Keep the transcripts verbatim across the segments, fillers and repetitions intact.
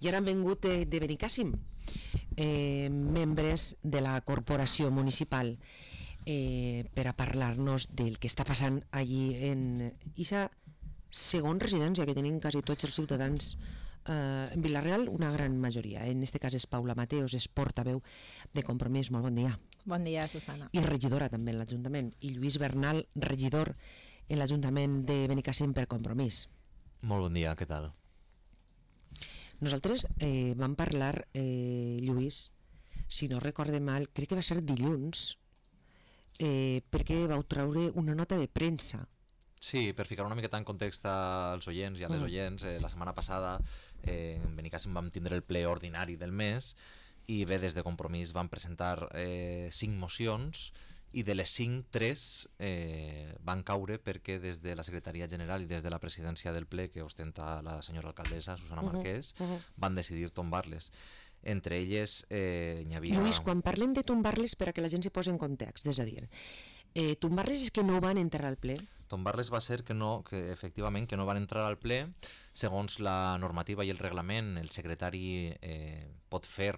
I ara han vengut de, de Benicàssim, eh, membres de la corporació municipal, eh, per a parlar-nos del que està passant allí en aquesta segona residència que tenim quasi tots els ciutadans eh, en Vila-real, una gran majoria. En este cas és Paula Mateos, és portaveu de Compromís. Molt bon dia. Bon dia, Susana. I regidora també en l'Ajuntament. I Lluís Bernal, regidor en l'Ajuntament de Benicàssim per Compromís. Molt bon dia, què tal? Nosaltres eh, vam parlar, eh, Lluís, si no recorde mal, crec que va ser dilluns, eh, perquè vau treure una nota de premsa. Sí, per ficar una miqueta en context als oients i a les Mm. oients, eh, la setmana passada eh, en Benicàssim vam tindre el ple ordinari del mes i bé, des de Compromís vam presentar eh, cinc mocions i de les cinc, tres eh, van caure perquè des de la Secretaria General i des de la presidència del ple que ostenta la senyora alcaldessa Susana Uh-huh, Marquès uh-huh. van decidir tombar-les. Entre elles eh, n'hi havia... Lluís, quan parlem de tombar-les, per a que la gent s'hi posi en context, és a dir, eh, tombar-les és que no van entrar al ple? Tombar-les va ser que no, que efectivament que no van entrar al ple. Segons la normativa i el reglament, el secretari eh, pot fer,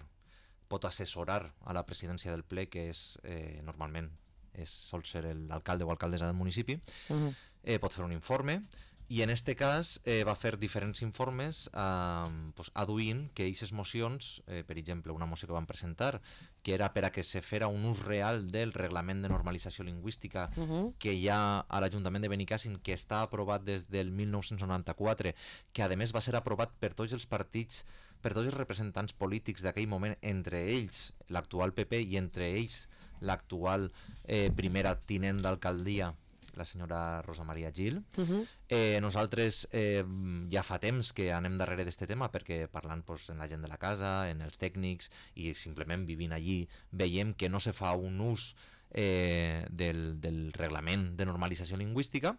pot assessorar a la presidència del ple, que és eh, normalment és, sol ser l'alcalde o alcaldessa del municipi, Uh-huh. eh, pot fer un informe, i en este cas eh, va fer diferents informes eh, pues, aduint que aquestes mocions, eh, per exemple una moció que van presentar, que era per a que se fera un ús real del reglament de normalització lingüística Uh-huh. que hi ha a l'Ajuntament de Benicàssim, que està aprovat des del mil nou-cents noranta-quatre, que a més va ser aprovat per tots els partits, per tots els representants polítics d'aquell moment, entre ells l'actual P P i entre ells l'actual eh, primera tinent d'alcaldia, la senyora Rosa Maria Gil. Uh-huh. Eh, nosaltres eh, ja fa temps que anem darrere d'este tema perquè parlant pues, en la gent de la casa, en els tècnics i simplement vivint allí veiem que no se fa un ús eh, del, del reglament de normalització lingüística.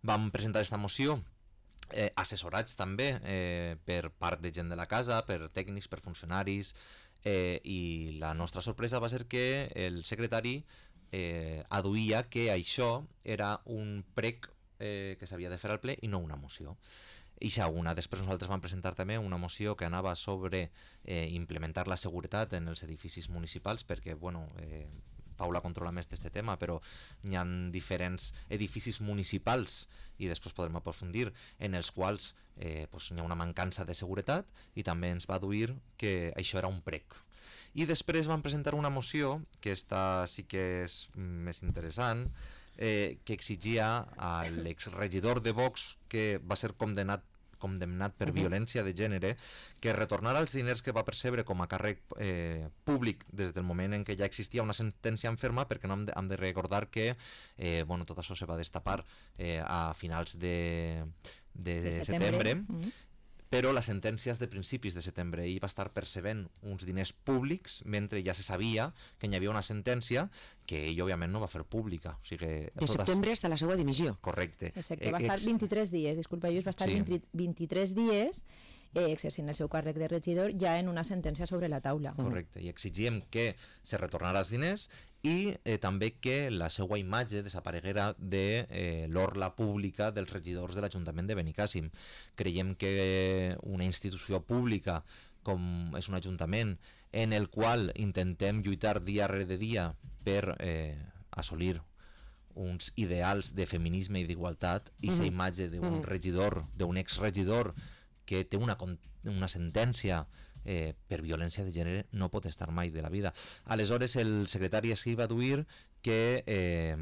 Vam presentar esta moció eh, assessorats també eh, per part de gent de la casa, per tècnics, per funcionaris, eh, i la nostra sorpresa va ser que el secretari eh, aduïa que això era un prec eh, que s'havia de fer al ple i no una moció. I ja una. Després nosaltres vam presentar també una moció que anava sobre eh, implementar la seguretat en els edificis municipals perquè, bueno, eh, Paula controla més d'aquest tema, però hi ha diferents edificis municipals i després podrem aprofundir en els quals eh, pues, hi ha una mancança de seguretat i també ens va aduir que això era un prec. I després van presentar una moció, que esta sí que és més interessant, eh, que exigia a l'exregidor de Vox, que va ser condemnat condemnat per uh-huh. violència de gènere, que retornara els diners que va percebre com a càrrec eh, públic des del moment en què ja existia una sentència en ferma, perquè no hem de, hem de recordar que eh, bueno, tot això se va destapar eh, a finals de, de, de setembre, setembre. Uh-huh. Però la sentència és de principis de setembre i va estar percebent uns diners públics mentre ja se sabia que hi havia una sentència que ell òbviament no va fer pública. O sigui, de setembre fins a la seva dimissió. Correcte. Exacte, va estar vint-i-tres dies, disculpa, Lluís, va estar Sí. vint, vint-i-tres dies eh, exercint el seu càrrec de regidor ja en una sentència sobre la taula. Correcte, i exigíem que se retornara els diners i eh, també que la seva imatge desapareguera de eh, l'orla pública dels regidors de l'Ajuntament de Benicàssim. Creiem que una institució pública com és un ajuntament en el qual intentem lluitar dia rere dia per eh, assolir uns ideals de feminisme i d'igualtat, i aquesta Mhm. imatge d'un Mhm. regidor, d'un exregidor que té una, con- una sentència eh, per violència de gènere no pot estar mai de la vida. Aleshores el secretari així va aduir que eh,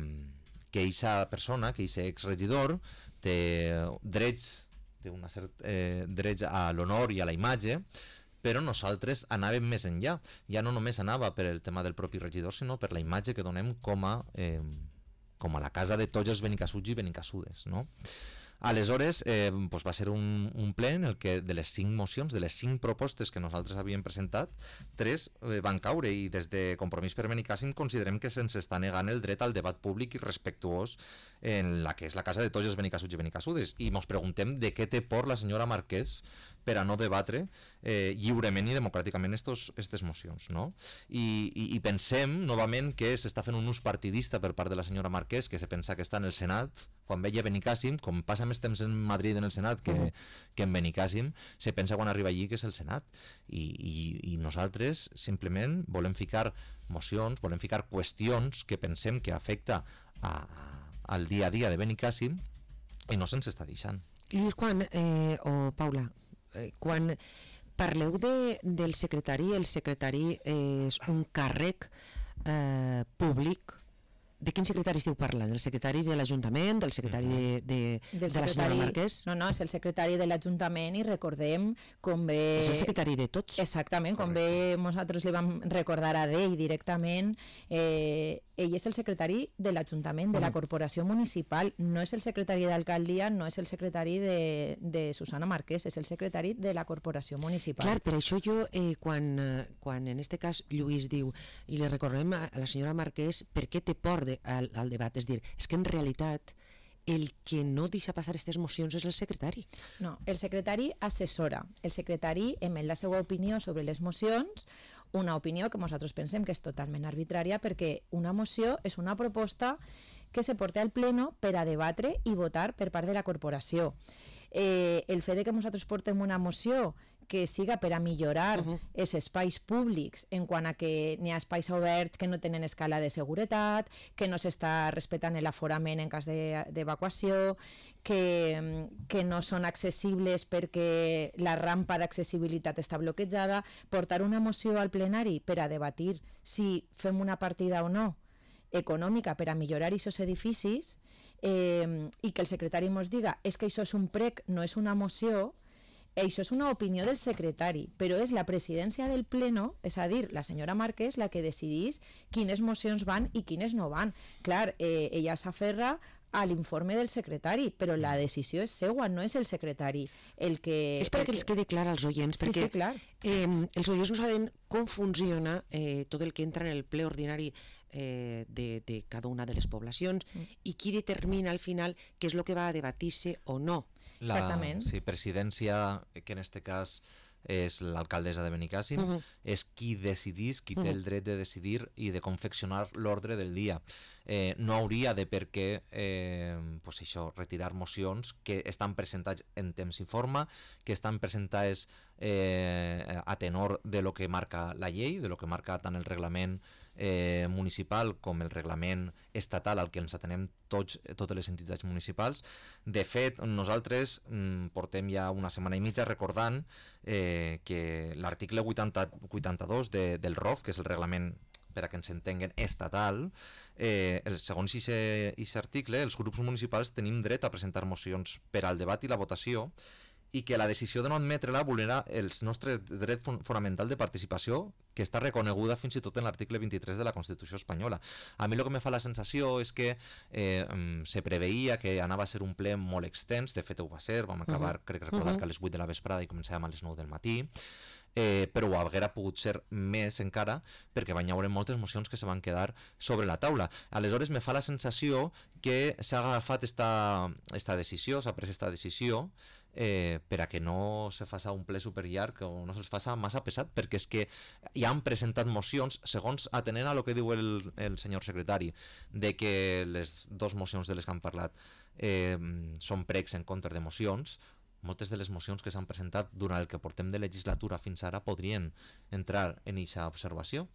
que eixa persona, que eixe exregidor té drets, té una cert, eh, drets a l'honor i a la imatge, però nosaltres anàvem més enllà. Ja no només anava per el tema del propi regidor, sinó per la imatge que donem com a, eh, com a la casa de tots els benicassuts i benicassudes, no? Aleshores eh, doncs va ser un, un ple en el que de les cinc mocions, de les cinc propostes que nosaltres havíem presentat, tres eh, van caure, i des de Compromís per Benicàssim considerem que se'ns està negant el dret al debat públic i respectuós en la que és la casa de tots els benicassuts i benicassudes, i ens preguntem de què té por la senyora Marquès per a no debatre eh, lliurement i democràticament aquestes mocions, no? I, i, i pensem, novament, que s'està fent un ús partidista per part de la senyora Marquès, que se pensa que està en el Senat, quan veia Benicàssim, com passa més temps en Madrid en el Senat que, uh -huh. que en Benicàssim, se pensa quan arriba allí que és el Senat. I, i, i nosaltres simplement volem ficar mocions, volem ficar qüestions que pensem que afecta a, a, al dia a dia de Benicàssim i no se'ns està deixant. Lluís, quan, eh, o Paula, eh, quan parleu de, del secretari, el secretari és un càrrec eh, públic, de quin secretari esteu parlant? Del secretari de l'Ajuntament, del secretari de, de, Del de la senyora Marquès? No, no, és el secretari de l'Ajuntament i recordem com bé... És el secretari de tots. Exactament, com bé nosaltres li vam recordar a ell directament, eh, ell és el secretari de l'Ajuntament, de la Corporació Municipal, no és el secretari d'Alcaldia, no és el secretari de, de Susana Marquès, és el secretari de la Corporació Municipal. Clar, per això jo, eh, quan, eh, quan en este cas Lluís diu, i li recordem a, a la senyora Marquès, per què té por de, al, al debat? És dir, és que en realitat el que no deixa passar aquestes mocions és el secretari. No, el secretari assessora. El secretari emet la seva opinió sobre les mocions, una opinió que nosaltres pensem que és totalment arbitrària perquè una moció és una proposta que se porta al pleno per a debatre i votar per part de la corporació. Eh, el fet de que nosaltres portem una moció que siga per a millorar els uh -huh. espais públics en quant a que n'hi ha espais oberts que no tenen escala de seguretat, que no s'està respectant l'aforament en cas d'evacuació, que, que no són accessibles perquè la rampa d'accessibilitat està bloquejada, portar una moció al plenari per a debatir si fem una partida o no econòmica per a millorar aquests edificis eh, i que el secretari ens diga és que això és un prec, no és una moció. Això és una opinió del secretari, però és la presidència del pleno, és a dir, la senyora Marquès, la que decidís quines mocions van i quines no van. Clar, eh, ella s'aferra a l'informe del secretari, però la decisió és seua, no és el secretari el que... És perquè el els quedi clar als oients, sí, perquè sí, clar. eh, els oients no saben com funciona eh, tot el que entra en el ple ordinari eh, de, de cada una de les poblacions mm. i qui determina al final què és el que va a debatir-se o no. La, Exactament. Sí, presidència, que en este cas és l'alcaldessa de Benicàssim, uh -huh. és qui decidís, qui té uh -huh. el dret de decidir i de confeccionar l'ordre del dia. Eh, no hauria de per què eh, pues això, retirar mocions que estan presentats en temps i forma, que estan presentades eh, a tenor de lo que marca la llei, de lo que marca tant el reglament eh, municipal com el reglament estatal al que ens atenem tots, totes les entitats municipals. De fet, nosaltres mm, portem ja una setmana i mitja recordant eh, que l'article vuitanta-dos de, del R O F, que és el reglament per a que ens entenguen estatal, eh, el, segons aquest article, els grups municipals tenim dret a presentar mocions per al debat i la votació i que la decisió de no admetre-la vulnera els nostres drets fonamental de participació, que està reconeguda fins i tot en l'article vint-i-tres de la Constitució espanyola. A mi el que me fa la sensació és que eh, se preveia que anava a ser un ple molt extens, de fet ho va ser, vam acabar, uh -huh. crec recordar uh -huh. que a les vuit de la vesprada i començàvem a les nou del matí, eh, però ho haguera pogut ser més encara perquè van haver moltes mocions que se van quedar sobre la taula. Aleshores me fa la sensació que s'ha agafat esta, esta decisió, s'ha pres esta decisió eh, per a que no se faça un ple superllarg o no se'ls faça massa pesat, perquè és que ja han presentat mocions, segons atenent a lo que diu el, el senyor secretari, de que les dos mocions de les que han parlat eh, són pregs en contra de mocions. Moltes de les mocions que s'han presentat durant el que portem de legislatura fins ara podrien entrar en aquesta observació.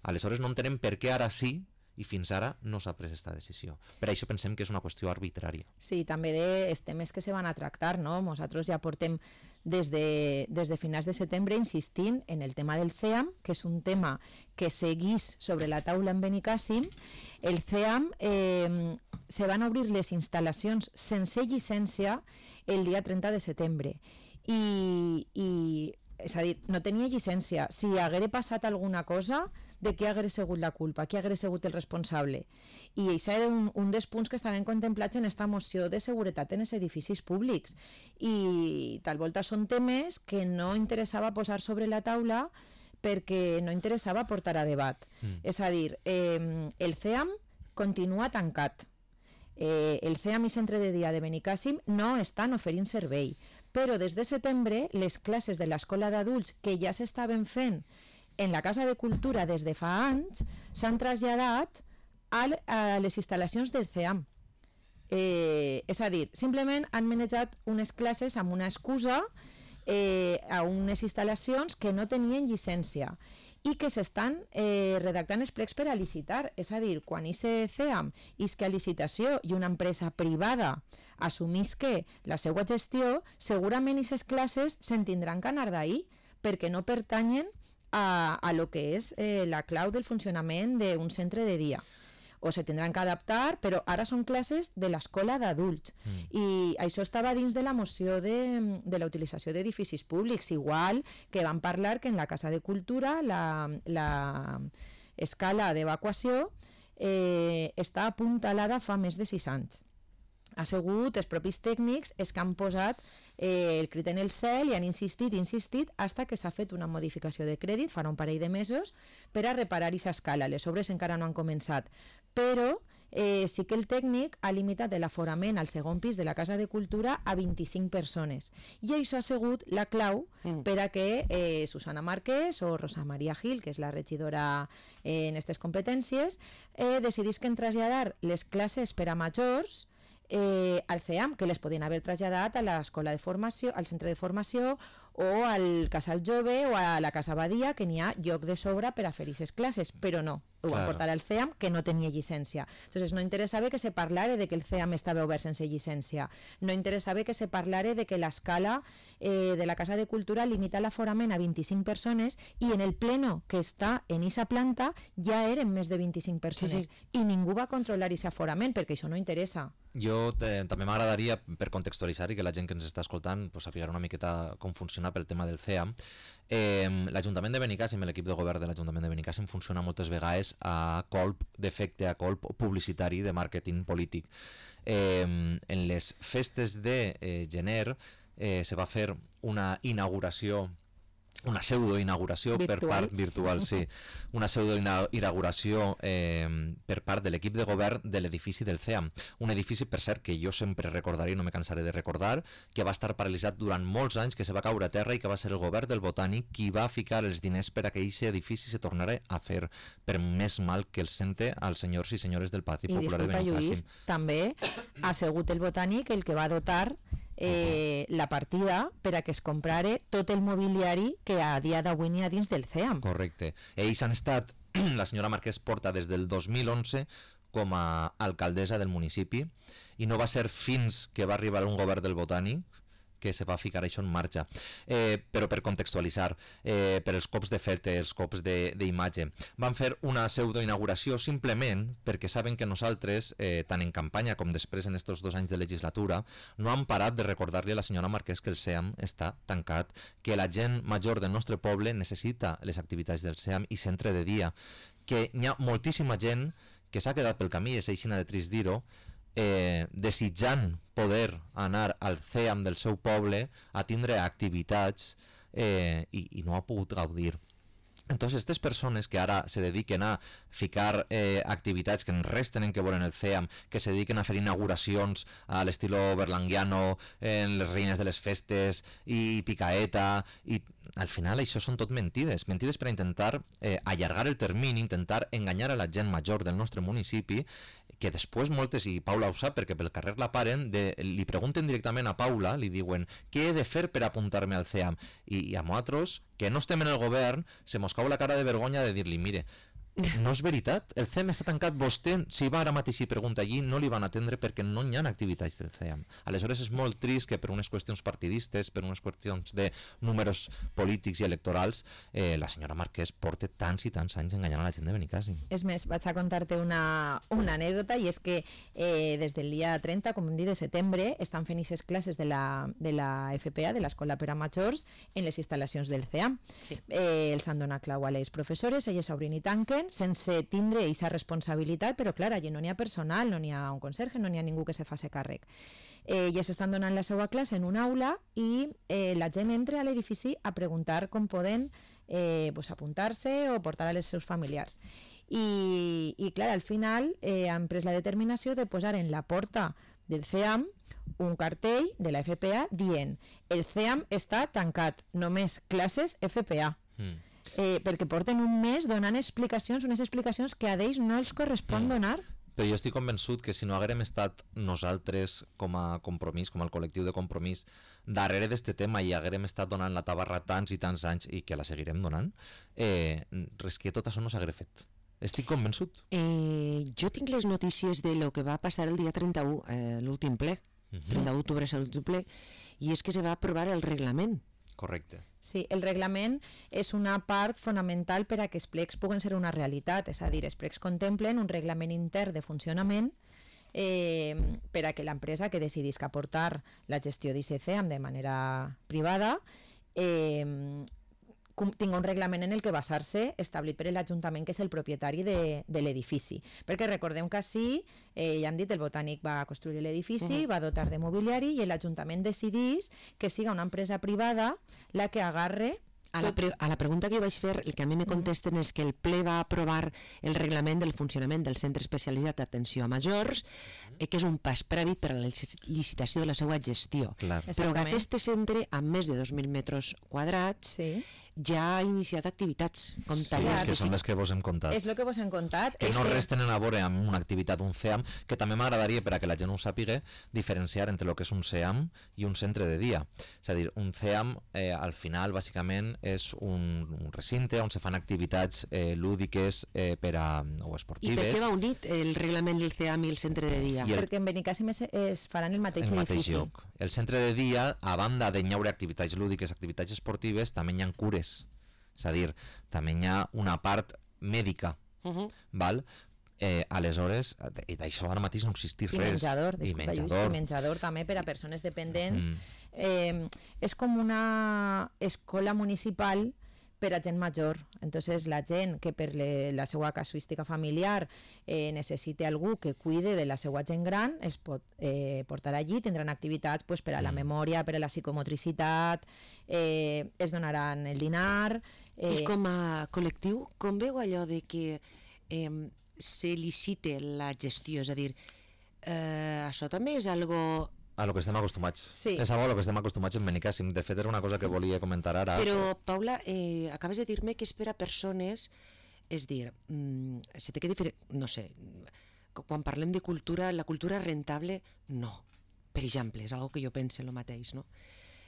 Aleshores no entenem per què ara sí i fins ara no s'ha pres aquesta decisió. Per això pensem que és una qüestió arbitrària. Sí, també dels temes que se van a tractar, no? Nosaltres ja portem des de, des de finals de setembre insistint en el tema del C E A M, que és un tema que seguís sobre la taula en Benicàssim. El C E A M eh, se van obrir les instal·lacions sense llicència el dia trenta de setembre i, i és a dir, no tenia llicència. Si haguera passat alguna cosa, de qui hagués sigut la culpa, qui hagués sigut el responsable. I això era un, un dels punts que estaven contemplats en esta moció de seguretat en els edificis públics. I tal volta són temes que no interessava posar sobre la taula perquè no interessava portar a debat. Mm. És a dir, eh, el C E A M continua tancat. Eh, el C E A M i Centre de Dia de Benicàssim no estan oferint servei, però des de setembre les classes de l'escola d'adults que ja s'estaven fent en la Casa de Cultura des de fa anys s'han traslladat a les instal·lacions del C E A M. Eh, és a dir, simplement han manejat unes classes amb una excusa eh, a unes instal·lacions que no tenien llicència i que s'estan eh, redactant els plecs per a licitar. És a dir, quan aquest C E A M isque a licitació i una empresa privada assumís que la seva gestió, segurament aquestes classes se'n tindran que anar d'ahir perquè no pertanyen a, a lo que és eh, la clau del funcionament d'un centre de dia. O se tindran que adaptar, però ara són classes de l'escola d'adults. Mm. I això estava dins de la moció de, de la utilització d'edificis públics, igual que van parlar que en la Casa de Cultura la, la escala d'evacuació eh, està apuntalada fa més de sis anys. Ha sigut els propis tècnics els que han posat eh, el crit en el cel i han insistit, insistit, fins que s'ha fet una modificació de crèdit, farà un parell de mesos, per a reparar aquesta escala. Les obres encara no han començat, però eh, sí que el tècnic ha limitat l'aforament al segon pis de la Casa de Cultura a vint-i-cinc persones. I això ha sigut la clau mm. per a que eh, Susana Márquez o Rosa María Gil, que és la regidora eh, en aquestes competències, eh, decidisquen traslladar les classes per a majors Eh, al C E A M, que les podien haver traslladat a l'escola de formació, al centre de formació o al casal jove o a la casa Badia, que n'hi ha lloc de sobra per a fer aquestes classes, però no, ho van portar al C E A M, que no tenia llicència. Entonces no interessava que se parlara de que el C E A M estava obert sense llicència, no interessava que se parlara de que l'escala eh, de la Casa de Cultura limita l'aforament a vint-i-cinc persones i en el pleno que està en aquesta planta ja eren més de vint-i-cinc persones, sí, sí. I ningú va controlar aquest aforament perquè això no interessa. Jo eh, també m'agradaria, per contextualitzar i que la gent que ens està escoltant pues, sapiguera una miqueta com funciona pel tema del C E A M. Eh, L'Ajuntament de Benicàssim, l'equip de govern de l'Ajuntament de Benicàssim funciona moltes vegades a colp d'efecte, a colp publicitari de màrqueting polític. Eh, en les festes de eh, gener eh, se va fer una inauguració una pseudo-inauguració per part virtual, sí, una pseudo-inauguració eh, per part de l'equip de govern de l'edifici del C E A M. Un edifici, per cert, que jo sempre recordaré i no me cansaré de recordar, que va estar paralitzat durant molts anys, que se va caure a terra i que va ser el govern del Botànic qui va ficar els diners per a que aquest edifici se tornara a fer, per més mal que el sente als senyors i senyores del Partit Popular de Benicàssim. I disculpa, Lluís, també ha sigut el Botànic el que va dotar Eh, la partida per a que es comprare tot el mobiliari que a dia d'avui n'hi ha dins del C E A M. Correcte. Ells han estat, la senyora Marquès porta des del dos mil onze com a alcaldessa del municipi i no va ser fins que va arribar un govern del Botànic que se va ficar això en marxa. Eh, però per contextualitzar, eh, per els cops d'efecte, els cops d'imatge, van fer una pseudo-inauguració simplement perquè saben que nosaltres, eh, tant en campanya com després en estos dos anys de legislatura, no han parat de recordar-li a la senyora Marquès que el C E A M està tancat, que la gent major del nostre poble necessita les activitats del C E A M i centre de dia, que hi ha moltíssima gent que s'ha quedat pel camí, és així de trist dir-ho, Eh, desitjant poder anar al C E A M del seu poble a tindre activitats eh, i, i no ha pogut gaudir. Entonces, aquestes persones que ara se dediquen a ficar eh, activitats que res tenen que veure en el C E A M, que se dediquen a fer inauguracions a l'estilo berlanguiano, en les reines de les festes i picaeta, i al final això són tot mentides, mentides per a intentar eh, allargar el termini, intentar enganyar a la gent major del nostre municipi, que després moltes, i Paula ho sap perquè pel carrer la paren, de, li pregunten directament a Paula, li diuen què he de fer per apuntar-me al C E A M, i, i a nosaltres, que no estem en el govern, se mos cau la cara de vergonya de dir-li, mire, no és veritat, el C E A M està tancat, vostè, si va ara mateix i pregunta allí, no li van atendre perquè no hi ha activitats del C E A M. Aleshores és molt trist que per unes qüestions partidistes, per unes qüestions de números polítics i electorals, eh, la senyora Marquès porta tants i tants anys enganyant a la gent de Benicàssim. És més, vaig a contar-te una, una anècdota, i és que eh, des del dia trenta, com hem dit, de setembre, estan fent aquestes classes de la, de la F P A, de l'Escola per a Majors, en les instal·lacions del C E A M. Sí. Eh, els han donat clau a les professores, elles obrin i tanquen, sense tindre aquesta responsabilitat, però clar, allí no n'hi ha personal, no n'hi ha un conserge, no n'hi ha ningú que se faci càrrec. Eh, ja s'estan donant la seva classe en una aula i eh, la gent entra a l'edifici a preguntar com poden eh, pues, apuntar-se o portar als seus familiars. I, i clar, al final eh, han pres la determinació de posar en la porta del C E A M un cartell de la F P A dient el C E A M està tancat, només classes F P A. Mm. Eh, perquè porten un mes donant explicacions, unes explicacions que a ells no els correspon mm. donar. Però jo estic convençut que si no haguérem estat nosaltres com a compromís, com el col·lectiu de compromís, darrere d'este tema i haguérem estat donant la tabarra tants i tants anys i que la seguirem donant, eh, res que tot això no s'hagués fet. Estic convençut. Eh, jo tinc les notícies de lo que va passar el dia trenta-u, eh, l'últim ple, uh-huh. trenta-u d'octubre és l'últim ple, i és que se va aprovar el reglament. Correcte. Sí, el reglament és una part fonamental per a que els plecs puguen ser una realitat, és a dir, els plecs contemplen un reglament intern de funcionament eh, per a que l'empresa que decidisca aportar la gestió d'I C C E A M de manera privada eh, tinga un reglament en el que basar-se establit per l'Ajuntament, que és el propietari de, de l'edifici. Perquè recordem que així, eh, ja hem dit, el Botànic va construir l'edifici, uh-huh. va dotar de mobiliari i l'Ajuntament decidís que siga una empresa privada la que agarre... A la, pre a la pregunta que jo vaig fer, el que a mi me contesten és que el ple va aprovar el reglament del funcionament del Centre Especialitzat d'Atenció a Majors, eh, que és un pas prèvit per a la licitació de la seva gestió. Clar. Però que aquest centre, amb més de dos mil metres quadrats, sí. ja ha iniciat activitats com sí, tallar. Que són les que vos hem contat. És el que vos hem contat. Que és no que... res tenen a veure amb una activitat, un C E A M, que també m'agradaria, per a que la gent ho sàpiga, diferenciar entre el que és un C E A M i un centre de dia. És a dir, un C E A M, eh, al final, bàsicament, és un, un recinte on se fan activitats eh, lúdiques eh, per a, o esportives. I per què va unit el reglament del C E A M i el centre de dia? El... Perquè en Benicàssim es, es faran el mateix el edifici. Mateix lloc. El centre de dia, a banda de n'hi haure activitats lúdiques, activitats esportives, també hi ha cures. És a dir, també hi ha una part mèdica, uh-huh. val? Eh, aleshores, d'això ara mateix no existeix I res. menjador, I disculpa, menjador. Lluís, i menjador també per a persones dependents. Mm. Eh, és com una escola municipal per a gent major. Entonces, la gent que per le, la seva casuística familiar eh, necessite algú que cuide de la seva gent gran, es pot eh, portar allí, tindran activitats pues, per a la mm. memòria, per a la psicomotricitat, eh, es donaran el dinar... Eh... I com a col·lectiu, com veu allò de que eh, se licite la gestió? És a dir, eh, això també és algo... A lo que estem acostumats. Sí. És algo a lo que estem acostumats en Benicàssim. De fet, era una cosa que volia comentar ara. Però, Paula, eh, acabes de dir-me que és per a persones... És dir, mm, se té que diferent... No sé, quan parlem de cultura, la cultura rentable, no. Per exemple, és algo que jo pense el mateix, no?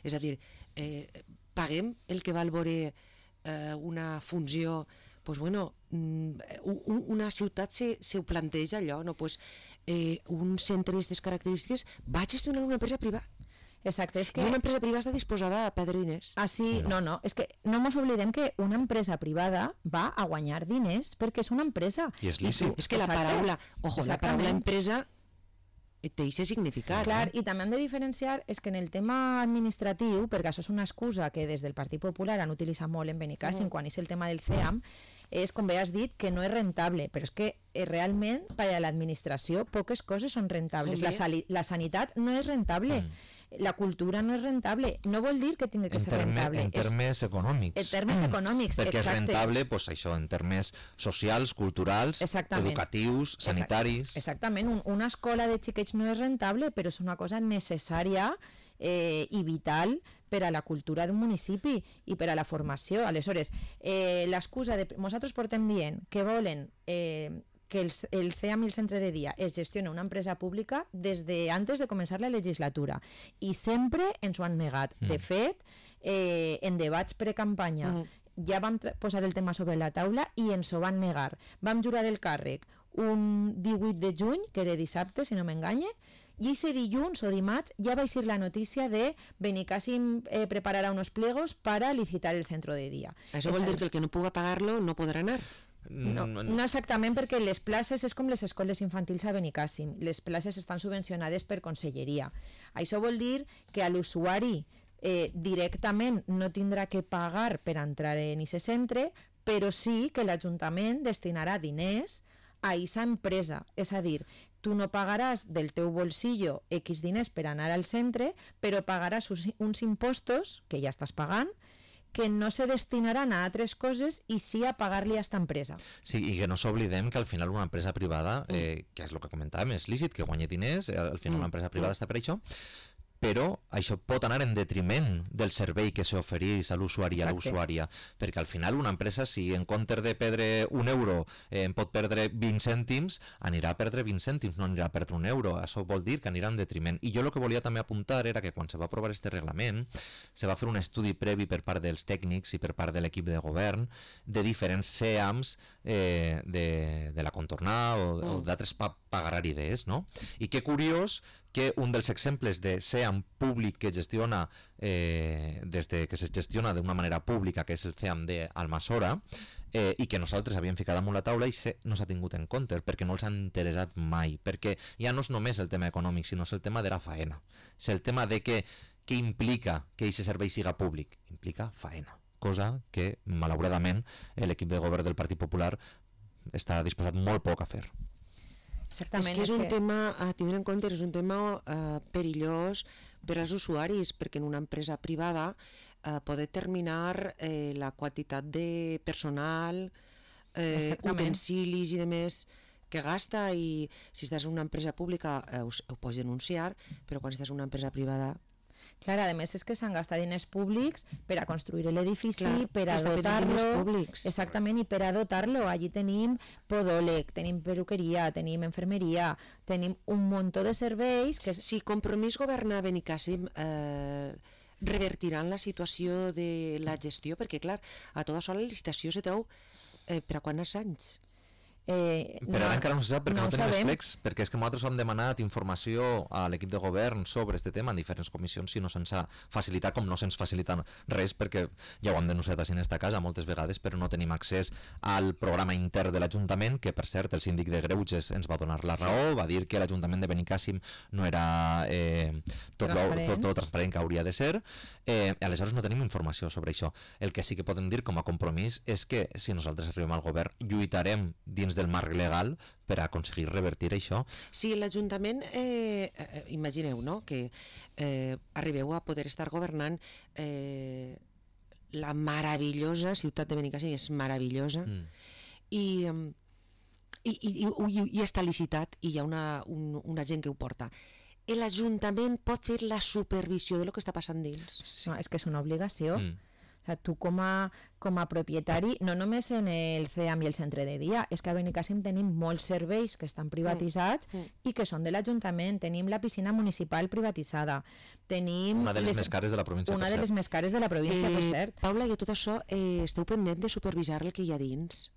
És a dir, eh, paguem el que val veure eh, una funció... Pues bueno, una ciutat se, se ho planteja allò, no? Pues, eh, un centre d'aquestes característiques va gestionar una empresa privada. Exacte, és que... I una empresa privada està disposada a perdre diners. Ah, sí, no, no, és que no ens oblidem que una empresa privada va a guanyar diners perquè és una empresa. I és lícit. És que la paraula, ojo, la paraula empresa té aquest significat. Clar, eh? i també hem de diferenciar és que en el tema administratiu, perquè això és una excusa que des del Partit Popular han utilitzat molt en Benicàssim mm. quan és el tema del C E A M, és, com bé has dit, que no és rentable, però és que eh, realment per a l'administració poques coses són rentables. La, la sanitat no és rentable, mm. la cultura no és rentable. No vol dir que tingui que en ser terme, rentable. En termes és, econòmics. En termes econòmics, perquè exacte. És rentable, pues, això, en termes socials, culturals, exactament. Educatius, sanitaris... Exactament, un, una escola de xiquets no és rentable, però és una cosa necessària eh, i vital per a la cultura d'un municipi i per a la formació. Aleshores, eh, l'excusa de... Nosaltres portem dient que volen eh, que el, el C E A M i el centre de dia es gestioni una empresa pública des de antes de començar la legislatura i sempre ens ho han negat. Mm. De fet, eh, en debats precampanya mm. ja vam posar el tema sobre la taula i ens ho van negar. Vam jurar el càrrec un divuit de juny, que era dissabte, si no m'enganye, i ese dilluns o dimarts ja va eixir la notícia de Benicàssim eh, prepararà unos pliegos para licitar el centro de dia. Això vol dir que el que no puga pagar-lo no podrà anar? No, no exactament, perquè les places és com les escoles infantils a Benicàssim. Les places estan subvencionades per conselleria. Això vol dir que a l'usuari eh, directament no tindrà que pagar per entrar en aquest centre, però sí que l'Ajuntament destinarà diners a aquesta empresa. És a dir, tu no pagaràs del teu bolsillo X diners per anar al centre, però pagaràs uns impostos, que ja estàs pagant, que no se destinaran a altres coses i sí a pagar-li a esta empresa. Sí, i que no s'oblidem que al final una empresa privada, eh, que és el que comentàvem, és lícit que guanyi diners, al final una empresa privada està per això, però això pot anar en detriment del servei que s'ofereix a l'usuari i a l'usuària, perquè al final una empresa, si en comptes de perdre un euro eh, en pot perdre vint cèntims, anirà a perdre vint cèntims, no anirà a perdre un euro. Això vol dir que anirà en detriment. I jo el que volia també apuntar era que quan se va aprovar este reglament se va fer un estudi previ per part dels tècnics i per part de l'equip de govern de diferents C E A Ms eh, de, de la contornar o, mm. o d'altres pa pagararides, no? I que curiós que un dels exemples de C E A M públic que gestiona eh, des de que se gestiona d'una manera pública, que és el C E A M d'Almassora, eh, i que nosaltres havíem ficat damunt la taula i se, no s'ha tingut en compte perquè no els han interessat mai, perquè ja no és només el tema econòmic, sinó és el tema de la faena, és el tema de que què implica que aquest servei siga públic, implica faena, cosa que malauradament l'equip de govern del Partit Popular està disposat molt poc a fer. Exactament, és que és un que... tema a tindre en compte, és un tema eh, perillós per als usuaris, perquè en una empresa privada eh, pot determinar eh, la quantitat de personal, eh, utensilis i demés que gasta, i si estàs en una empresa pública eh, ho, ho pots denunciar, però quan estàs en una empresa privada... Clar, a més és que s'han gastat diners públics per a construir l'edifici, per a dotar-lo... Exactament, i per a dotar-lo. Allí tenim podòleg, tenim peruqueria, tenim enfermeria, tenim un muntó de serveis que... Si Compromís governa Benicàssim, eh, revertiran la situació de la gestió, perquè, clar, a tota sola la licitació se treu eh, per a quants anys? Eh, però ara no, encara no se sap perquè no, no tenim sabem. els plecs, perquè és que nosaltres hem demanat informació a l'equip de govern sobre aquest tema en diferents comissions i no se'ns ha facilitat, com no se'ns facilita res, perquè ja ho hem denunciat així en esta casa moltes vegades, però no tenim accés al programa intern de l'Ajuntament, que per cert el síndic de Greuges ens va donar la raó, va dir que l'Ajuntament de Benicàssim no era eh, tot, transparent. Lo, tot, tot transparent que hauria de ser, eh, aleshores no tenim informació sobre això. El que sí que podem dir com a compromís és que si nosaltres arribem al govern lluitarem dins del marc legal per aconseguir revertir això. Si l'Ajuntament, eh, eh, imagineu, no?, que eh, arribeu a poder estar governant, eh, la meravellosa ciutat de Benicàssim és meravellosa, mm. i, i, i, i, i està licitat i hi ha una, un, una gent que ho porta. L'Ajuntament pot fer la supervisió de lo que està passant dins. Sí. No, és que és una obligació. Mm. O sea, tu com a, com a propietari, no només en el C E A M i el centre de dia, és que a Benicàssim tenim molts serveis que estan privatitzats mm. Mm. i que són de l'Ajuntament. Tenim la piscina municipal privatitzada. Tenim una de les, les més cares de la província, una de les més cares de la província, eh, per cert. Paula, i tot això eh, esteu pendent de supervisar el que hi ha dins?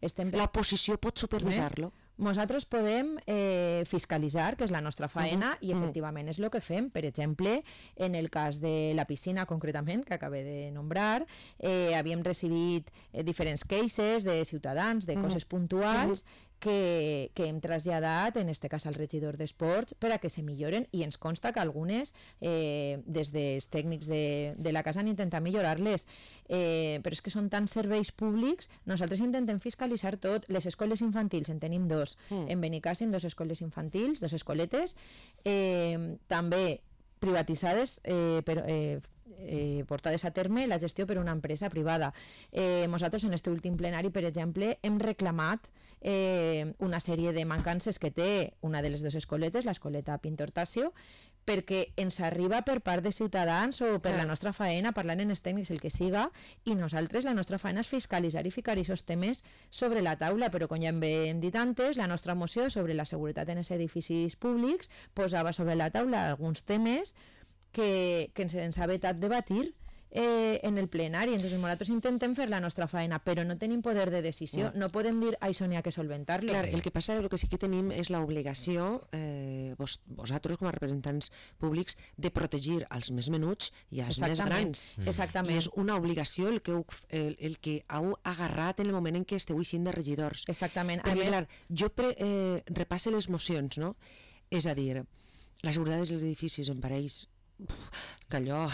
Estem... La posició pot supervisar-lo? Eh? Nosaltres podem eh, fiscalitzar, que és la nostra faena, uh -huh. i efectivament és el que fem. Per exemple, en el cas de la piscina, concretament, que acabé de nombrar, eh, havíem recibit eh, diferents cases de ciutadans, de uh -huh. coses puntuals, uh -huh. que, que hem traslladat, en este cas al regidor d'Esports, per a que se milloren, i ens consta que algunes, eh, des dels tècnics de, de la casa, han intentat millorar-les. Eh, però és que són tants serveis públics, nosaltres intentem fiscalitzar tot. Les escoles infantils, en tenim dos, mm. en Benicàssim, dos escoles infantils, dos escoletes, eh, també privatitzades, eh, per, eh, eh, portades a terme la gestió per una empresa privada. Eh, nosaltres en aquest últim plenari, per exemple, hem reclamat eh, una sèrie de mancances que té una de les dues escoletes, l'escoleta Pintor Tasio, perquè ens arriba per part de ciutadans o per la nostra faena, parlant en els tècnics, el que siga, i nosaltres la nostra faena és fiscalitzar i ficar aquests temes sobre la taula, però com ja hem dit antes, la nostra moció sobre la seguretat en els edificis públics posava sobre la taula alguns temes que, que ens, ens ha vetat debatir eh, en el plenari. Entonces nosaltres intentem fer la nostra feina, però no tenim poder de decisió, no, no podem dir això n'hi ha que solventar-lo. Clar, el que passa, el que sí que tenim és l'obligació, eh, vos, vosaltres com a representants públics, de protegir els més menuts i els més grans. Mm. Exactament. I és una obligació el que, heu, el, el que heu agarrat en el moment en què esteu eixint de regidors. Exactament. Perquè, a més, clar, jo pre, eh, repasse les mocions, no? És a dir, la seguretat dels edificis em pareix que allò...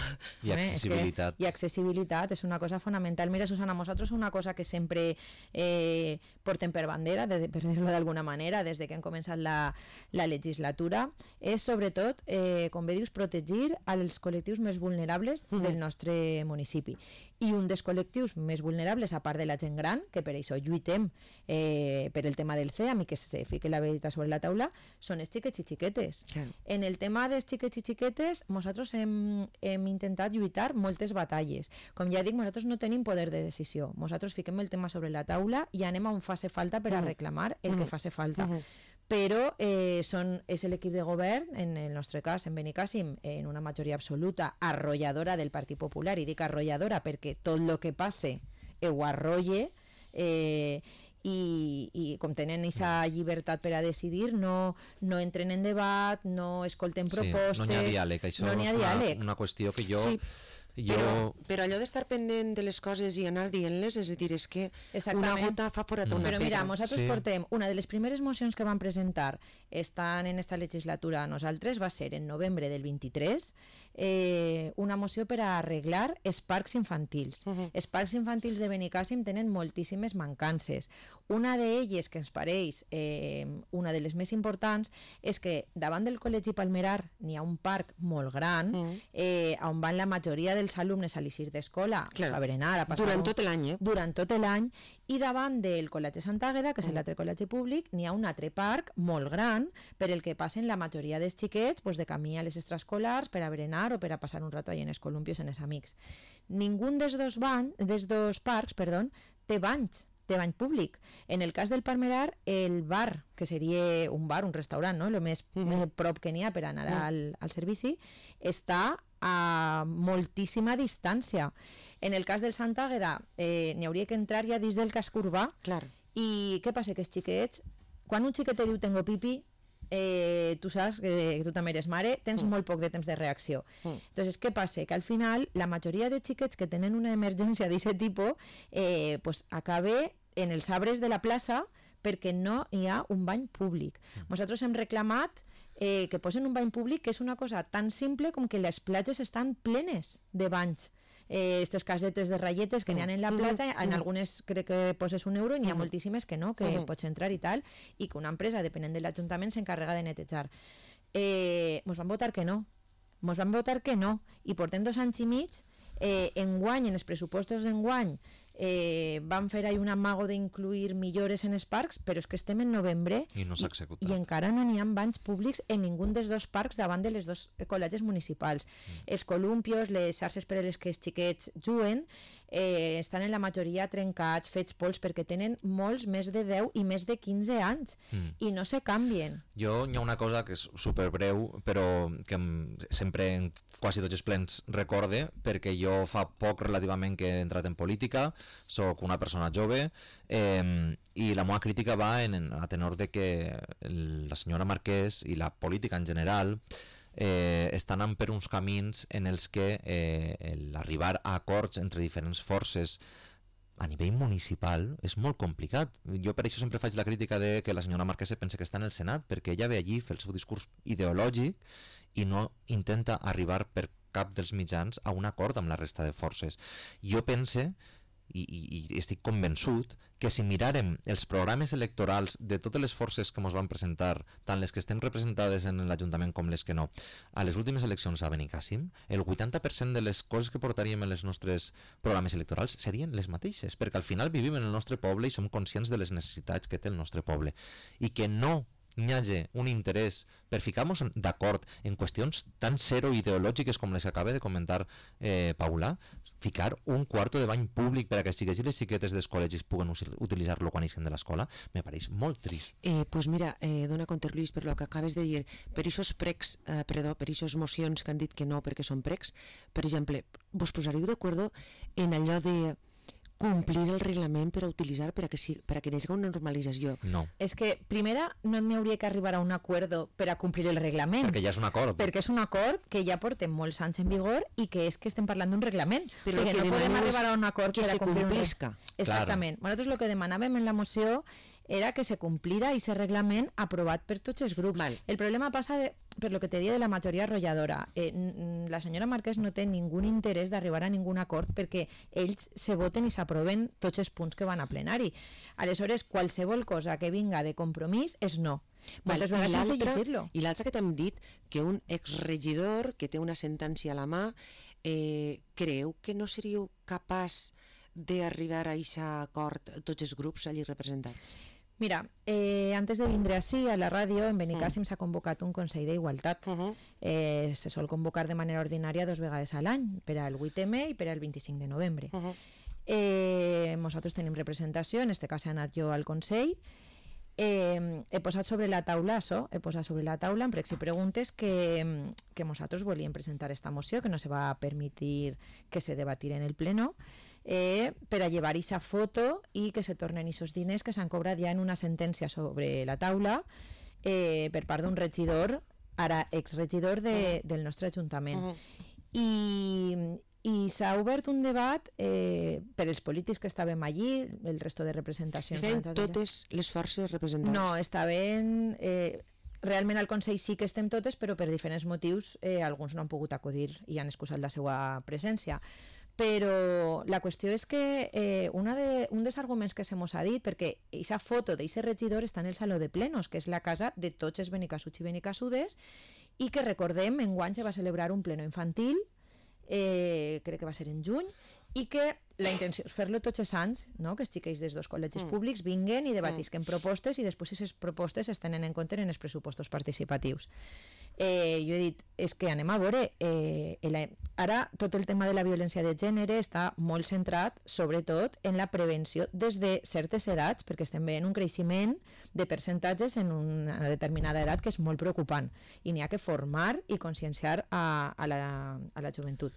I accessibilitat. I accessibilitat és una cosa fonamental. Mira, Susana, nosaltres una cosa que sempre eh, portem per bandera, de, per dir-ho d'alguna manera, des de que hem començat la, la legislatura, és sobretot, eh, com bé dius, protegir els col·lectius més vulnerables mm. del nostre municipi. I un dels col·lectius més vulnerables, a part de la gent gran, que per això lluitem eh, per el tema del C E A M i que se fique la veritat sobre la taula, són els xiquets i xiquetes. Claro. En el tema dels xiquets i xiquetes, nosaltres hem, hem intentat lluitar moltes batalles. Com ja dic, nosaltres no tenim poder de decisió. Nosaltres fiquem el tema sobre la taula i anem on faci falta per a reclamar el que faci falta. Uh -huh. Però eh, són, és l'equip de govern, en el nostre cas, en Benicàssim, en una majoria absoluta arrolladora del Partit Popular, i dic arrolladora perquè tot el que passe ho arrolle, eh, i, i com tenen aquesta llibertat per a decidir, no, no entren en debat, no escolten propostes... Sí, no n'hi ha diàleg, això no és una, una qüestió que jo... Sí. Jo... Però, però allò d'estar pendent de les coses i anar dient-les, és a dir, és que una gota fa forat una pedra. Però mira, nosaltres sí. portem, una de les primeres mocions que vam presentar estan en esta legislatura nosaltres, va ser en novembre del vint-i-tres, eh, una moció per a arreglar els parcs infantils. Uh -huh. Els parcs infantils de Benicàssim tenen moltíssimes mancances. Una d'elles, que ens pareix eh, una de les més importants, és que davant del Col·legi Palmerar n'hi ha un parc molt gran, uh -huh. eh, on van la majoria dels alumnes a l'eixir d'escola, claro. a berenar, a passar... Durant tot l'any, eh? Durant tot l'any, i davant del Col·legi Sant Àgueda, que és uh -huh. l'altre col·legi públic, n'hi ha un altre parc molt gran per el que passen la majoria dels xiquets pues, de camí a les extraescolars per a berenar o per a passar un rato allà en els columpios en els amics. Ningú dels dos, ban, dels dos parcs perdó, té banys, té bany públic. En el cas del Palmerar, el bar, que seria un bar, un restaurant, no? El més, mm -hmm. més prop que n'hi ha per anar al, al servici, està a moltíssima distància. En el cas del Sant Àgueda, eh, n'hi hauria que entrar ja dins del casc urbà. Clar. I què passa? Que els xiquets, quan un xiquet te diu tengo pipi, Eh, tu saps que, que tu també eres mare, tens mm. molt poc de temps de reacció. Mm. Entonces, què passa? Que al final la majoria de xiquets que tenen una emergència d'aquest tipus eh, pues, acaba en els arbres de la plaça perquè no hi ha un bany públic. Mm. Nosaltres hem reclamat eh, que posen un bany públic, que és una cosa tan simple com que les platges estan plenes de banys. Aquestes eh, casetes de ratlletes que n'hi ha en la platja, uh -huh. en algunes crec que poses un euro i n'hi ha uh -huh. moltíssimes que no, que uh -huh. pots entrar i tal, i que una empresa, depenent de l'Ajuntament, s'encarrega de netejar. Eh, mos van votar que no, mos van votar que no, i portem dos anys i mig, eh, enguany, en els pressupostos d'enguany, eh, van fer ahí un amago d'incluir millores en els parcs, però és que estem en novembre i, no i, i encara no n'hi ha banys públics en ningú dels dos parcs davant de les dos col·legis municipals. Mm. Els columpios, les xarxes per a les que els xiquets juguen, eh, estan en la majoria trencats, fets pols, perquè tenen molts més de deu i més de quinze anys mm. i no se canvien. Jo hi ha una cosa que és superbreu, però que sempre en quasi tots els plens recorde, perquè jo fa poc relativament que he entrat en política, soc una persona jove, eh, i la meva crítica va en, en a tenor de que el, la senyora Marquès i la política en general eh, estan anant per uns camins en els que eh, l'arribar a acords entre diferents forces a nivell municipal és molt complicat. Jo per això sempre faig la crítica de que la senyora Marquès pensa que està en el Senat, perquè ella ve allí, fer el seu discurs ideològic i no intenta arribar per cap dels mitjans a un acord amb la resta de forces. Jo pense, i, i, i estic convençut, que si miràrem els programes electorals de totes les forces que ens van presentar, tant les que estem representades en l'Ajuntament com les que no, a les últimes eleccions a Benicàssim, el vuitanta per cent de les coses que portaríem en els nostres programes electorals serien les mateixes, perquè al final vivim en el nostre poble i som conscients de les necessitats que té el nostre poble, i que no n'hi hagi un interès per ficar-nos d'acord en qüestions tan zero ideològiques com les que acaba de comentar eh, Paula, ficar un quarto de bany públic per a que els xiquets i les xiquetes dels col·legis puguen utilitzar-lo quan eixen de l'escola, me pareix molt trist. Eh, pues mira, eh, dona compte, Lluís, per lo que acabes de dir, per aquests pregs, eh, perdó, per aquestes mocions que han dit que no perquè són pregs, per exemple, vos posareu d'acord en allò de complir el reglament per a utilitzar per a que, si, per a que hi hagi una normalització. No. És que, primera, no n'hi hauria que arribar a un acord per a complir el reglament. Perquè ja és un acord. Perquè és un acord que ja portem molts anys en vigor i que és que estem parlant d'un reglament. Però o sigui, no podem arribar a un acord que per a se complir complisca. un... Exactament. Claro. Nosaltres el que demanàvem en la moció era que se complira aquest reglament aprovat per tots els grups. Val. El problema passa de, per lo que te dia de la majoria arrolladora. Eh, la senyora Marquès no té ningú interès d'arribar a ningun acord perquè ells se voten i s'aproven tots els punts que van a plenari. Aleshores, qualsevol cosa que vinga de compromís és no. Moltes Val, vegades i sense l'altre- llegir-lo. I l'altre que t'hem dit, que un exregidor que té una sentència a la mà, eh, creu que no seríeu capaç d'arribar a aquest acord tots els grups allí representats? Mira, eh, antes de vindre així a la ràdio, en Benicàssim s'ha convocat un Consell d'Igualtat. Uh -huh. eh, se sol convocar de manera ordinària dos vegades a l'any, per al vuit eme i per al vint-i-cinc de novembre. Uh -huh. Eh, nosaltres tenim representació, en aquest cas he anat jo al Consell. Eh, he posat sobre la taula això, he posat sobre la taula en pregs i preguntes que, que nosaltres volíem presentar esta moció, que no se va permitir que se debatir en el pleno, eh, per a llevar aquesta foto i que se tornen aquests diners que s'han cobrat ja en una sentència sobre la taula eh, per part d'un regidor, ara exregidor de, del nostre Ajuntament. Uh -huh. I, i s'ha obert un debat eh, per als polítics que estàvem allí, el resto de representacions. Estaven totes les forces representades? No, estaven... Eh, realment al Consell sí que estem totes, però per diferents motius eh, alguns no han pogut acudir i han excusat la seva presència. Però la qüestió és que eh, una de, un dels arguments que se mos ha dit, perquè aquesta foto d'aquest regidor està en el Saló de Plenos, que és la casa de tots els benicassuts i benicassudes, i que recordem, enguany se va celebrar un pleno infantil, eh, crec que va ser en juny, i que la intenció és fer-lo tots els anys, no? Que els xiquets dels dos col·legis Mm. públics vinguen i debatisquen propostes i després aquestes propostes es tenen en compte en els pressupostos participatius. Eh, jo he dit, és que anem a veure, eh, la, ara tot el tema de la violència de gènere està molt centrat, sobretot, en la prevenció des de certes edats, perquè estem veient un creixement de percentatges en una determinada edat que és molt preocupant, i n'hi ha que formar i conscienciar a, a, la, a la joventut.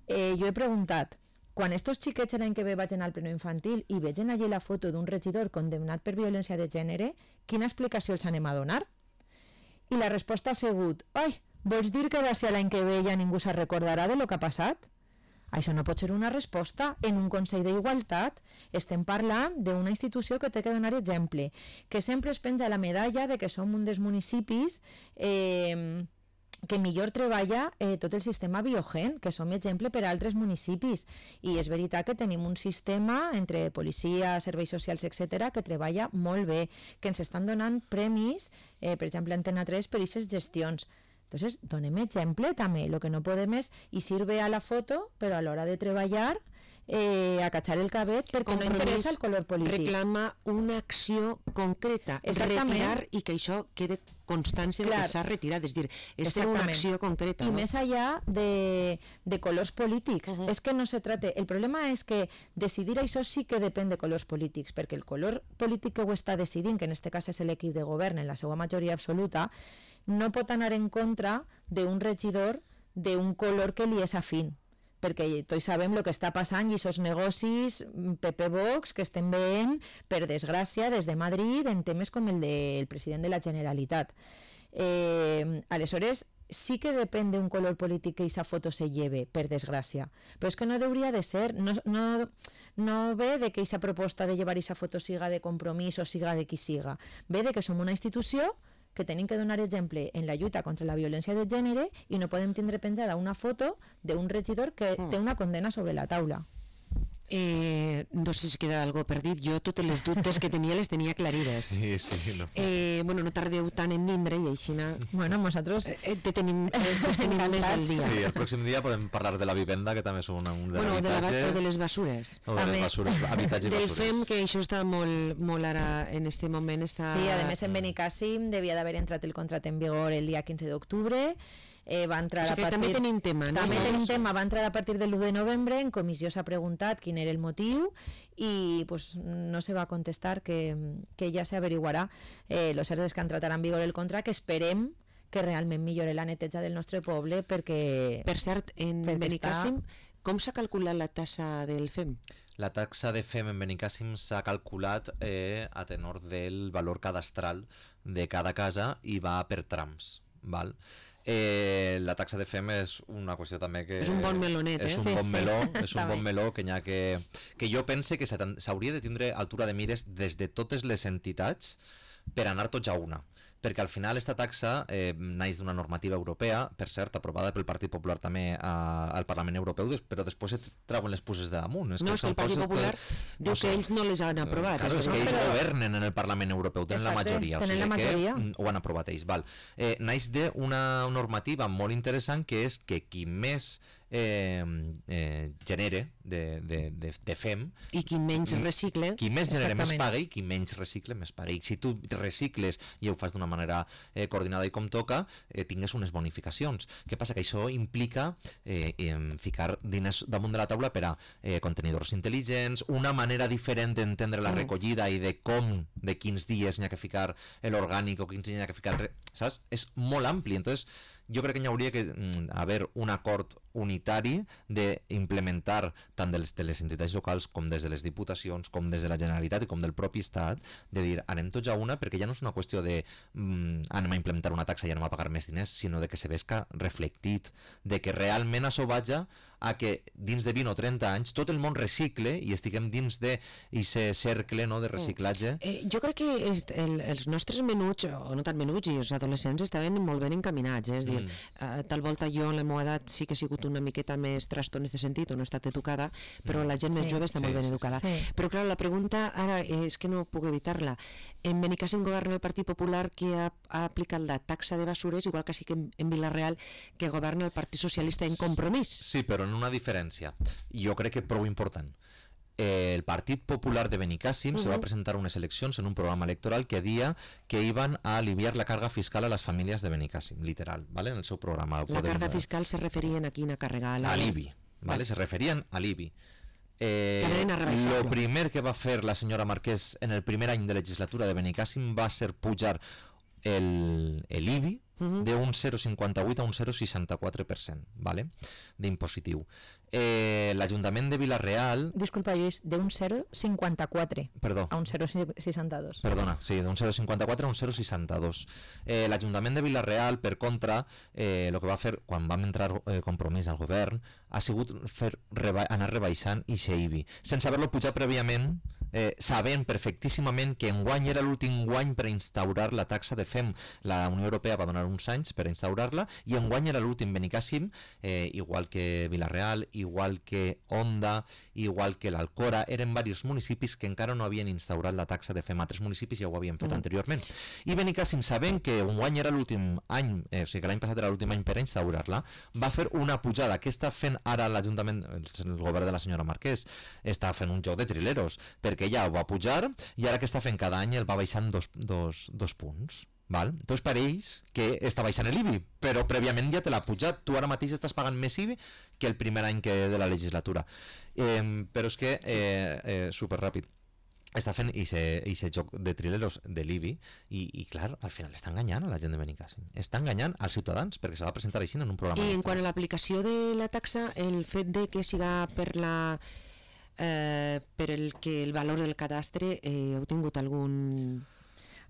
Eh, jo he preguntat, quan estos xiquets l'any que ve vagin al pleno infantil i vegen allí la foto d'un regidor condemnat per violència de gènere, quina explicació els anem a donar? I la resposta ha sigut, ai, vols dir que d'ací a l'any que ve ja ningú se recordarà de lo que ha passat? Això no pot ser una resposta. En un Consell d'Igualtat estem parlant d'una institució que té que donar exemple, que sempre es penja la medalla de que som un dels municipis eh, que millor treballa eh, tot el sistema biogen, que som exemple per a altres municipis. I és veritat que tenim un sistema entre policia, serveis socials, etcètera, que treballa molt bé, que ens estan donant premis, eh, per exemple, Antena tres, per aquestes gestions. Entonces, donem exemple també. Lo que no podem és i sirve a la foto, però a l'hora de treballar eh, a cachar el cabet perquè no interessa el color polític. Reclama una acció concreta, Exactament. retirar i que això quede constància Clar. de que s'ha retirat, és dir, és fer una Exactament. acció concreta. I no? més allà de, de colors polítics. Uh-huh. És que no se trata... El problema és que decidir això sí que depèn de colors polítics, perquè el color polític que ho està decidint, que en aquest cas és l'equip de govern en la seva majoria absoluta, no pot anar en contra d'un regidor d'un color que li és afín, perquè tots sabem el que està passant i aquests negocis P P Vox que estem veient, per desgràcia, des de Madrid en temes com el del president de la Generalitat. Eh, aleshores, sí que depèn d'un color polític que aquesta foto se lleve, per desgràcia. Però és que no hauria de ser, no, no, no ve de que aquesta proposta de llevar aquesta foto siga de compromís o siga de qui siga. Ve de que som una institució que tenim que donar exemple en la lluita contra la violència de gènere i no podem tindre penjada una foto d'un regidor que Mm. té una condena sobre la taula. Eh, no sé si queda algo per dir, jo totes les dubtes que tenia les tenia clarides. Sí, sí, no. Eh, bueno, no tardeu tant en vindre i així na... Bueno, nosaltres... Eh, eh, te tenim, eh, pues tenim més al dia. Sí, el pròxim dia podem parlar de la vivenda, que també és un, un de Bueno, de, la, l'habitatge. o de les basures. O de També. les basures, habitatge i Del basures. F E M, que això està molt, molt ara, en este moment està... Sí, a més en Benicàssim devia d'haver entrat el contracte en vigor el dia quinze d'octubre. Eh, va entrar O sigui a que partir... també tenim tema, no? També No? tenim tema, va entrar a partir del u de novembre, en comissió s'ha preguntat quin era el motiu i pues, no se va contestar que, que ja s'averiguarà. Eh, lo cert és que ha entrat ara en vigor el contracte, que esperem que realment millore la neteja del nostre poble perquè... Per cert, en Perquè Benicàssim, està- com s'ha calculat la tassa del F E M? La taxa de F E M en Benicàssim s'ha calculat eh, a tenor del valor cadastral de cada casa i va per trams. Val? Eh, la taxa de F E M és una qüestió també que... És un bon melonet, és eh? un Sí, bon sí. meló, és un També. bon meló que, ha que, que jo pense que s'ha- s'hauria de tindre altura de mires des de totes les entitats per anar tots a una. Perquè al final esta taxa eh, naix d'una normativa europea, per cert, aprovada pel Partit Popular també a, al Parlament Europeu, des- però després et trauen les puces de damunt. No, és que el són Partit coses Popular que- diu no sé. que ells no les han aprovat. Claro, és això, que no? ells Però- governen en el Parlament Europeu, tenen la Exacte, majoria, o tenen sigui la majoria. que mm, ho han aprovat ells. Val. Eh, naix d'una normativa molt interessant que és que qui més eh, eh, genere de, de, de, de F E M, I qui menys recicle... qui més genera més Exactament. paga i qui menys recicle més paga. I si tu recicles i ho fas d'una manera eh, coordinada i com toca, eh, tingues unes bonificacions. Què passa? Que això implica eh, em, ficar diners damunt de la taula per a eh, contenidors intel·ligents, una manera diferent d'entendre la Mm. recollida i de com, de quins dies n'hi ha que ficar l'orgànic o quins dies n'hi ha que ficar... el re- Saps? És molt ampli. Entonces, jo crec que hi hauria que mm, haver un acord unitari d'implementar tant de les, de les entitats locals com des de les diputacions, com des de la Generalitat i com del propi Estat, de dir anem tots a una, perquè ja no és una qüestió de mm, anem a implementar una taxa i anem a pagar més diners, sinó de que se vesca reflectit, de que realment això vaja a que dins de vint o trenta anys tot el món recicle i estiguem dins de aquest cercle, no, de reciclatge. Eh, jo crec que és, el, els nostres menuts, o no tan menuts, i els adolescents estaven molt ben encaminats, eh? És dir, Mm. eh, tal volta jo en la meva edat sí que he sigut una miqueta més trastorn en aquest sentit, o no he estat educada, però la gent més Sí, jove està sí, molt ben sí, sí. educada. Sí. Però clar, la pregunta ara és que no puc evitar-la. En Benicàssim governa el Partit Popular, que ha, ha aplicat la taxa de basures, igual que sí que en, en Vila-real, que governa el Partit Socialista en Compromís. Sí, però en una diferència. Jo crec que prou important. El Partit Popular de Benicàssim se va presentar unes eleccions en un programa electoral que dia que iban a aliviar la carga fiscal a les famílies de Benicàssim, literal, ¿vale? En el seu programa. La podem- carga fiscal se referien a quina càrrega? A la- a l'I B I, ¿vale? Se referien a l'I B I. Eh, Que anaven a rebaixar-lo. lo primer que va fer la senyora Marquès en el primer any de legislatura de Benicàssim va ser pujar el, el I B I Mhm. d'un zero coma cinquanta vuit a un zero coma seixanta-quatre per cent, ¿vale? D'impositiu. Eh, L'Ajuntament de Vila-real, Disculpa, Lluís, d'un zero coma cinquanta-quatre perdó, a un zero coma seixanta-dos. Perdona, sí, d'un zero coma cinquanta-quatre a un zero coma seixanta-dos. Eh, L'Ajuntament de Vila-real, per contra, eh, el que va fer quan vam entrar eh, Compromís al govern ha sigut fer reba anar rebaixant i I B I, sense haver-lo pujat prèviament, eh, sabent perfectíssimament que enguany era l'últim guany per instaurar la taxa de F E M. La Unió Europea va donar uns anys per instaurar-la i enguany era l'últim. Benicàssim, eh, igual que Vila-real, igual que Onda, igual que l'Alcora, eren diversos municipis que encara no havien instaurat la taxa de F E M. Altres municipis ja ho havien fet Mm. anteriorment. I Benicàssim, sabent que enguany era l'últim any, eh, o sigui que l'any passat era l'últim any per instaurar-la, va fer una pujada. Què està fent ara l'Ajuntament, el, el govern de la senyora Marquès? Està fent un joc de trileros, perquè ja ho va pujar i ara que està fent cada any el va baixant dos, dos, dos punts. Val? Entonces pareix que està baixant l'I B I, però prèviament ja te l'ha pujat. Tu ara mateix estàs pagant més I B I que el primer any que de la legislatura. Eh, però és que, eh, eh, superràpid, està fent aquest joc de trileros de l'I B I i, i clar, al final està enganyant a la gent de Benicàssim. Està enganyant als ciutadans perquè se va presentar així en un programa. I en electoral. quant a l'aplicació de la taxa, el fet de que siga per la eh, per el que el valor del cadastre, eh, heu tingut algun...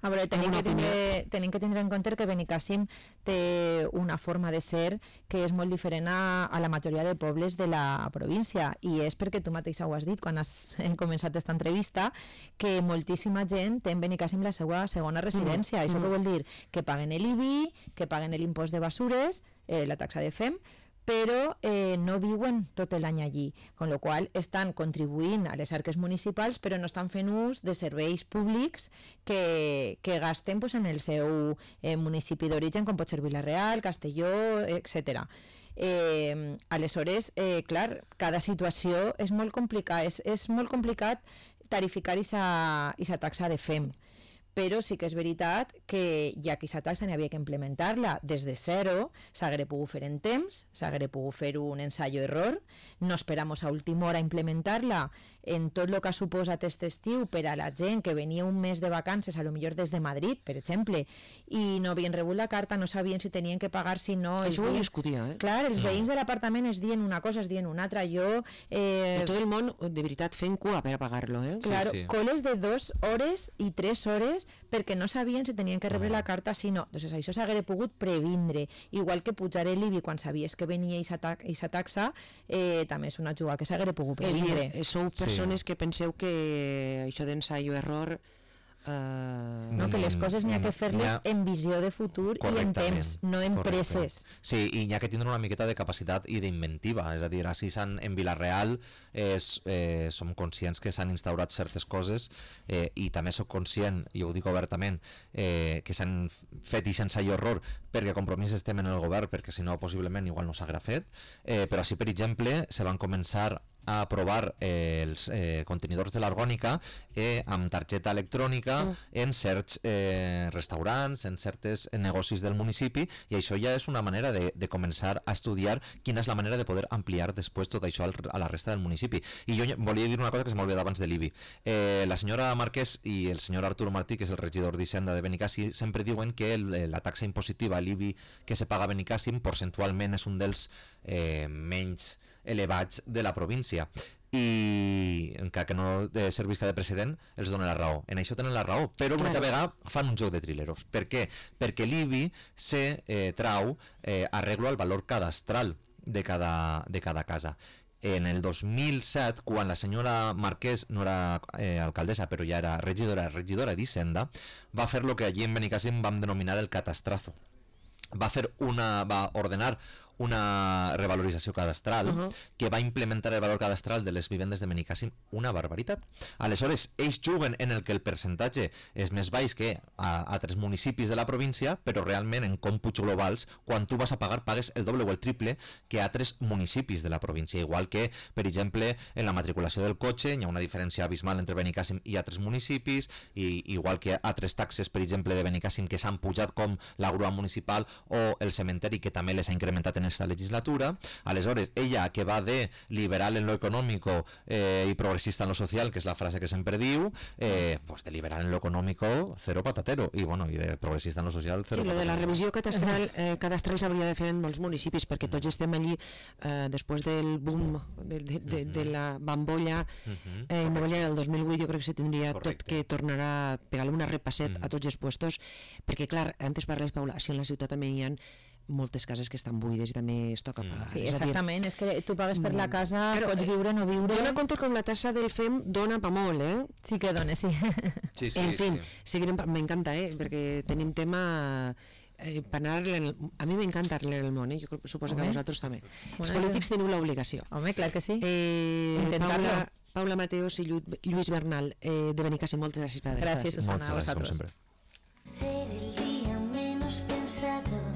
A veure, tenim Alguna que, tindre, tenim que tindre en compte que Benicàssim té una forma de ser que és molt diferent a, a la majoria de pobles de la província, i és perquè tu mateixa ho has dit quan has hem començat aquesta entrevista, que moltíssima gent té en Benicàssim la seva segona residència. Mm. Això Mm. què vol dir? Que paguen l'I B I, que paguen l'impost de basures, eh, la taxa de F E M, però eh, no viuen tot l'any allí, con lo qual estan contribuint a les arques municipals però no estan fent ús de serveis públics que, que gasten pues, en el seu eh, municipi d'origen, com pot ser Vila-real, Castelló, etcètera. Eh, aleshores, eh, clar, cada situació és molt complicat, és, és molt complicat tarificar aquesta taxa de F E M, però sí que és veritat que ja que aquesta taxa n'hi havia que implementar-la des de zero, s'hagués pogut fer en temps, s'hagués pogut fer un ensayo-error, no esperamos a última hora implementar-la en tot el que ha suposat aquest estiu per a la gent que venia un mes de vacances, a lo millor des de Madrid, per exemple, i no havien rebut la carta, no sabien si tenien que pagar, si no... Això ho deien... discutia, eh? Clar, els veïns de l'apartament es dien una cosa, es dien una altra, jo... Eh... I tot el món, de veritat, fent cua per a pagar-lo, eh? Claro, sí. coles de dos hores y tres horas cases perquè no sabien si tenien que rebre la carta si no. Doncs això s'haguera pogut previndre. Igual que pujar l'I B I quan sabies que venia aquesta taxa, eh, també és una jugada que s'haguera pogut previndre. És dir, sou persones sí. que penseu que això d'ensaio error Uh, no, que les coses n'hi ha que fer-les ha... en visió de futur i en temps, no en presses. Sí, i n'hi ha que tindre una miqueta de capacitat i d'inventiva, és a dir, així en Vila-real és, eh, som conscients que s'han instaurat certes coses eh, i també soc conscient, i ho dic obertament, eh, que s'han fet i sense horror perquè Compromís estem en el govern, perquè si no possiblement igual no s'haguera fet, eh, però així per exemple se van començar a aprovar eh, els eh, contenidors de l'argònica eh, amb targeta electrònica mm. en certs eh, restaurants, en certes negocis del municipi, i això ja és una manera de, de començar a estudiar quina és la manera de poder ampliar després tot això al, a la resta del municipi. I jo volia dir una cosa que se m'ha oblidat abans de l'I B I. Eh, la senyora Marquès i el senyor Artur Martí, que és el regidor d'Hisenda de Benicàssim, sempre diuen que el, la taxa impositiva, l'I B I que se paga a Benicàssim, percentualment és un dels eh, menys elevats de la província, i encara que no servisca de precedent els dona la raó, en això tenen la raó, però una altra vegada fan un joc de trileros. Per què? Perquè l'I B I se eh, trau eh, arreglo al valor cadastral de cada, de cada casa. En el dos mil set, quan la senyora Marquès no era eh, alcaldessa, però ja era regidora, regidora d'Hisenda, va fer el que allí en Benicàssim vam denominar el catastrazo. Va fer una, va ordenar una revalorització cadastral uh -huh. que va implementar el valor cadastral de les vivendes de Benicàssim, una barbaritat. Aleshores, ells juguen en el que el percentatge és més baix que a altres municipis de la província, però realment en còmputs globals, quan tu vas a pagar, pagues el doble o el triple que a altres municipis de la província. Igual que, per exemple, en la matriculació del cotxe hi ha una diferència abismal entre Benicàssim i altres municipis, i igual que altres taxes, per exemple, de Benicàssim que s'han pujat, com la grua municipal o el cementeri, que també les ha incrementat en esta legislatura. Aleshores, ella, que va de liberal en lo económico eh, y progresista en lo social, que es la frase que siempre diu, eh, pues de liberal en lo económico cero patatero, i bueno, i de progresista en lo social cero sí, patatero. Lo de la revisió cadastral, eh, cadastral s'hauria de fer en molts municipis, perquè tots estem allí eh, després del boom de, de, de, de la bambolla eh, immobiliària del dos mil vuit. Jo crec que se tindria Correcte. tot que tornar a pegar-li una repasset mm. a tots els puestos, perquè clar, antes parles, Paula, si en la ciutat també hi ha moltes cases que estan buides i també es toca pagar. Sí, exactament, és, dir, és que tu pagues per la casa, claro, pots viure o no viure. Dona compte com la tassa del F E M dona pa molt, eh? Sí que dona, sí. sí, sí en fin, sí. seguirem, m'encanta, eh? Perquè tenim tema... Eh, el, a mi m'encanta arreglar el món, eh? Jo suposo Home. que a vosaltres també. Bueno, els polítics teniu l'obligació. Home, clar que sí. Eh, Paula, Paula Mateos i Lluís Bernal, eh, de Benicàssim, moltes gràcies per haver estat. Gràcies, Susana, a vosaltres. Ser el día menos pensado